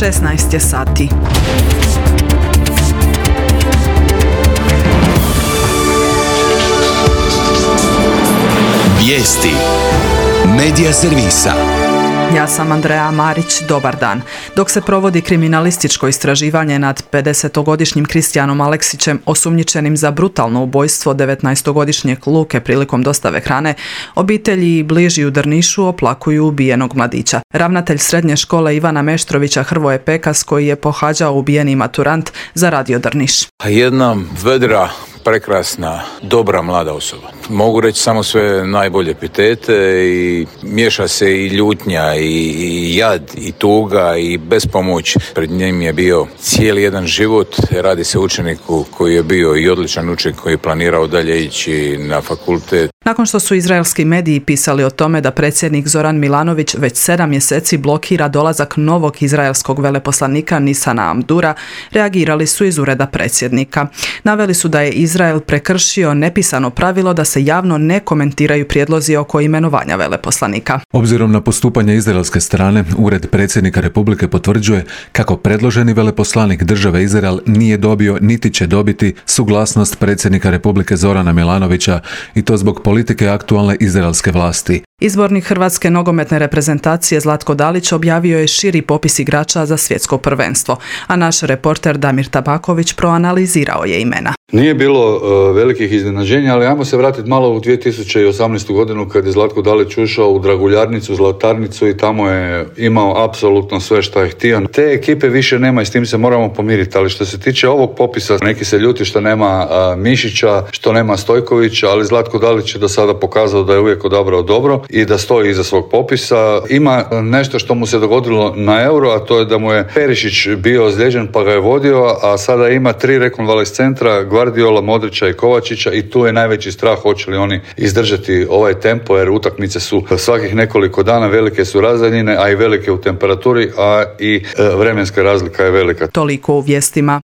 16 je sati. Vijesti Medija servisa. Ja sam Andreja Marić, dobar dan. Dok se provodi kriminalističko istraživanje nad 50-godišnjim Kristijanom Aleksićem, osumnjičenim za brutalno ubojstvo 19-godišnjeg Luke prilikom dostave hrane, obitelji i bliži u Drnišu oplakuju ubijenog mladića. Ravnatelj srednje škole Ivana Meštrovića Hrvoje Pekas, koji je pohađao ubijeni maturant za Radio Drniš. Jedna vedra, prekrasna, dobra mlada osoba. Mogu reći samo sve najbolje epitete i miješa se i ljutnja i jad i tuga i bespomoć. Pred njim je bio cijeli jedan život. Radi se o učeniku koji je bio i odličan učenik koji je planirao dalje ići na fakultet. Nakon što su izraelski mediji pisali o tome da predsjednik Zoran Milanović već 7 mjeseci blokira dolazak novog izraelskog veleposlanika Nisana Amdura, reagirali su iz ureda predsjednika. Naveli su da je Izrael prekršio nepisano pravilo da se javno ne komentiraju prijedlozi oko imenovanja veleposlanika. Obzirom na postupanje izraelske strane, ured predsjednika Republike potvrđuje kako predloženi veleposlanik države Izrael nije dobio niti će dobiti suglasnost predsjednika Republike Zorana Milanovića i to zbog politike aktualne izraelske vlasti. Izbornik hrvatske nogometne reprezentacije Zlatko Dalić objavio je širi popis igrača za svjetsko prvenstvo, a naš reporter Damir Tabaković proanalizirao je imena. Nije bilo velikih iznenađenja, ali ajmo se vratiti malo u 2018. godinu kad je Zlatko Dalić ušao u Draguljarnicu, Zlatarnicu i tamo je imao apsolutno sve što je htio. Te ekipe više nema i s tim se moramo pomiriti, ali što se tiče ovog popisa, neki se ljuti što nema Mišića, što nema Stojkovića, ali Zlatko Dalić je do sada pokazao da je uvijek odabrao dobro i da stoji iza svog popisa. Ima nešto što mu se dogodilo na Euro, a to je da mu je Perišić bio ozlijeđen pa ga je vodio, a sada ima 3 rekonvalescentra, Gvardiola, Modrića i Kovačića i tu je najveći strah hoće li oni izdržati ovaj tempo, jer utakmice su svakih nekoliko dana, velike su razdaljine, a i velike u temperaturi, a i vremenska razlika je velika. Toliko u vijestima.